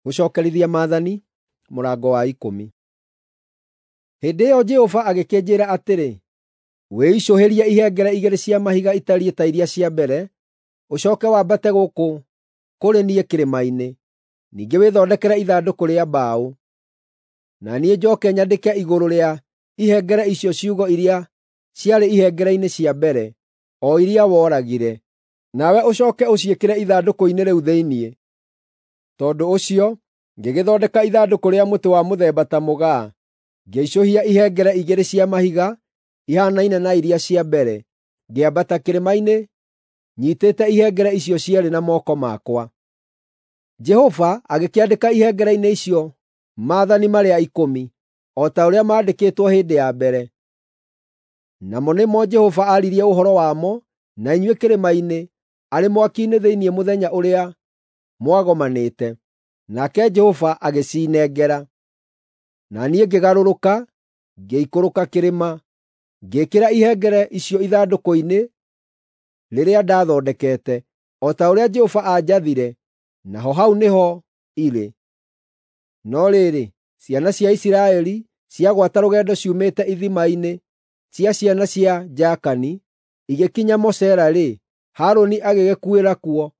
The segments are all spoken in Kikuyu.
Gũcookerithia Maathani mũrango wa ikũmi. Hĩndĩ ĩyo Jehova agĩkĩnjĩĩra atĩrĩ, “Wĩicũhĩrie ihengere igĩrĩ cia mahiga itariĩ ta iria cia mbere, ũcooke wambate gũkũ kũrĩ niĩ kĩrĩma-inĩ. Ningĩ wĩthondekere ithandũkũ rĩa mbaũ. Na niĩ njooke nyandĩke igũrũ rĩa ihengere icio ciugo iria ciarĩ ihengere-inĩ cia mbere, o iria woragire. Nawe ũcooke ũciĩkĩre ithandũkũ-inĩ rĩu thĩinĩ.” Tondũ ũcio ngĩgĩthondeka ithandũkũ rĩa mũtĩ wa mũthemba ta mũgaa, ngĩicũhia ihengere igĩrĩ cia mahiga ihaanaine na iria cia mbere, ngĩambata kĩrĩma-inĩ nyiitĩte ihengere icio cierĩ na moko makwa. Jehova agĩkĩandĩka ihengere-inĩ icio maathani marĩa ikũmi, o ta ũrĩa maandĩkĩtwo hĩndĩ ya mbere. Namo nĩmo Jehova aaririe ũhoro wamo na inyuĩ kĩrĩma-inĩ arĩ mwaki-inĩ thĩinĩ mũthenya ũrĩa mwagomanĩte, nake Jehova agĩciinengera. Na niĩ ngĩgarũrũka, ngĩikũrũka kĩrĩma, ngĩĩkĩra ihengere icio ithandũkũ-inĩ rĩrĩa ndathondekete, o ta ũrĩa Jehova aanjathire, naho hau nĩho irĩ. No rĩrĩ, ciana cia Isiraeli ciagwata rũgendo ciumĩte ithima-inĩ cia ciana cia Jaakani, igĩkinya Mosera-rĩ, Harũni agĩgĩkuĩra kuo,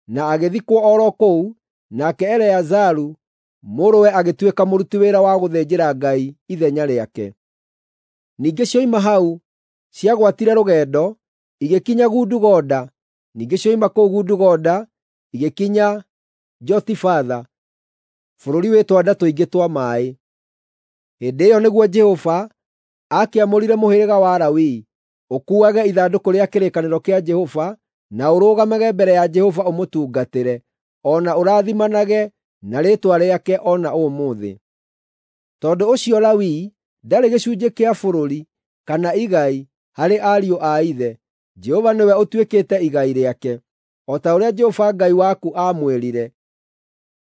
na agĩthikwo o ro kũu, nake Eleazaru mũrũwe agĩtuĩka mũruti wĩra wa gũthĩnjĩra Ngai ithenya rĩake. Ningĩ cioima hau ciagwatire rũgendo, igĩkinya Gudugoda, ningĩ cioima kũu Gudugoda igĩkinya Jotibatha, bũrũri wĩ twanda tũingĩ twa maaĩ. Hĩndĩ ĩyo nĩguo Jehova aakĩamũrire mũhĩrĩga wa Lawi ũkuuage ithandũkũ rĩa kĩrĩkanĩro kĩa Jehova na ũrũgamage mbere ya Jehova ũmũtungatĩre, o na ũrathimanage na rĩĩtwa rĩake o na ũmũthĩ. Tondũ ũcio Lawi ndarĩ gĩcunjĩ kĩa bũrũri kana igai harĩ ariũ a ithe; Jehova nĩwe ũtuĩkĩte igai rĩake, o ta ũrĩa Jehova Ngai waku aamwĩrire.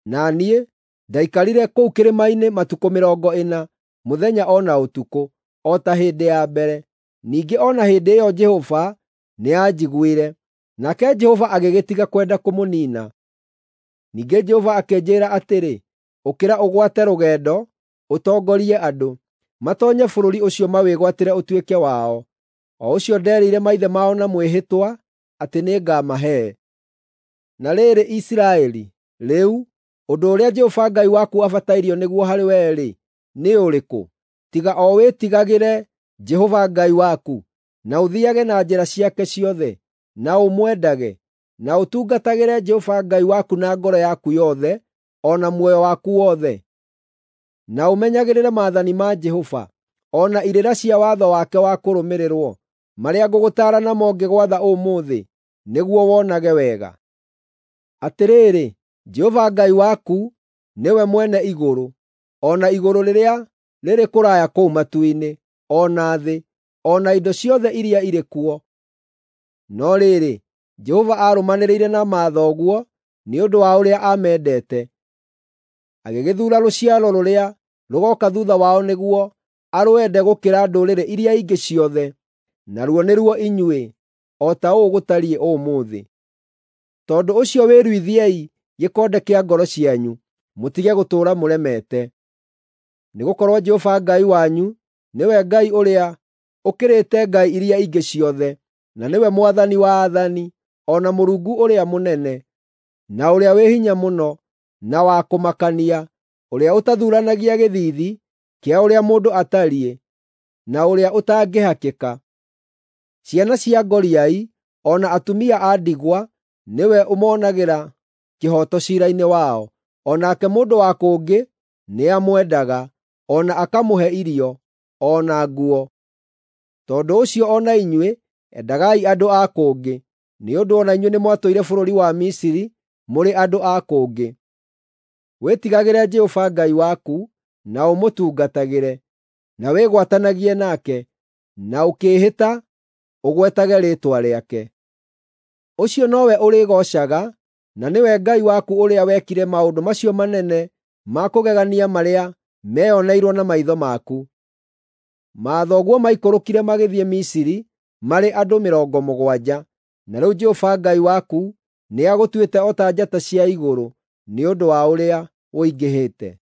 Na niĩ ndaikarire kũu kĩrĩma-inĩ matukũ mĩrongo ĩna, mũthenya o na ũtukũ, o ta hĩndĩ ya mbere. Ningĩ o na hĩndĩ ĩyo Jehova nĩanjiguire, nake Jehova agĩgĩtiga kwenda kũmũniina. Ningĩ Jehova akĩnjĩĩra atĩrĩ, “Ũkĩra ũgwate rũgendo, ũtongorie andũ, matoonye bũrũri ũcio mawĩgwatĩre ũtuĩke wao, o ũcio nderĩire maithe mao na mwĩhĩtwa atĩ nĩngamahe.” Na rĩrĩ, Isiraeli, rĩu, ũndũ ũrĩa Jehova Ngai waku abatairio nĩguo harĩ wee-rĩ, nĩ ũrĩkũ, tiga o wĩtigagĩre Jehova Ngai waku, na ũthiiage na njĩra ciake ciothe, na ũmwendage, na ũtungatagĩre Jehova Ngai waku na ngoro yaku yothe o na muoyo waku wothe, na ũmenyagĩrĩre maathani ma Jehova, o na irĩra cia watho wake wa kũrũmĩrĩrwo, marĩa ngũgũtaara namo ngĩgwatha ũmũthĩ, nĩguo wonage wega. Atĩrĩrĩ, Jehova Ngai waku nĩwe mwene igũrũ, o na igũrũ rĩrĩa rĩrĩ kũraya kũu matu-inĩ, o na thĩ, o na indo ciothe iria irĩ kuo. No rĩrĩ, Jehova aarũmanĩrĩire na mathoguo nĩ ũndũ wa ũrĩa aamendete, agĩgĩthuura rũciaro rũrĩa rũgooka thuutha wao nĩguo arwende gũkĩra ndũrĩrĩ iria ingĩ ciothe, naruo nĩruo inyuĩ, o ta ũũ gũtariĩ ũmũthĩ. Tondũ ũcio wĩruithiei gĩkonde kĩa ngoro cianyu, mũtige gũtũũra mũremete. Nĩgũkorwo Jehova Ngai wanyu nĩwe Ngai ũrĩa ũkĩrĩte ngai iria ingĩ ciothe, na nĩwe Mwathani wa aathani, o na Mũrungu ũrĩa mũnene, na ũrĩa wĩ hinya mũno, na wa kũmakania, ũrĩa ũtathuuranagia gĩthiithi kĩa ũrĩa mũndũ atariĩ, na ũrĩa ũtangĩhakĩka. Ciana cia ngoriai o na atumia a ndigwa nĩwe ũmoonagĩra kĩhooto ciira-inĩ wao. O nake mũndũ wa kũngĩ nĩamwendaga, o na akamũhe irio, o na nguo. Tondũ ũcio o na inyuĩ endagai andũ a kũngĩ, nĩ ũndũ o na inyuĩ nĩmwatũire bũrũri wa Misiri mũrĩ andũ a kũngĩ. Wĩtigagĩre Jehova Ngai waku na ũmũtungatagĩre, na wĩgwatanagie nake, na ũkĩĩhĩta ũgwetage rĩĩtwa rĩake. Ũcio nowe ũrĩgoocaga, na nĩwe Ngai waku ũrĩa wekire maũndũ macio manene ma kũgegania marĩa meeoneirwo na maitho maku. Mathoguo maikũrũkire magĩthiĩ Misiri marĩ andũ mĩrongo mũgwanja, na rĩu Jehova Ngai waku nĩagũtuĩte o ta njata cia igũrũ nĩ ũndũ wa ũrĩa ũingĩhĩte.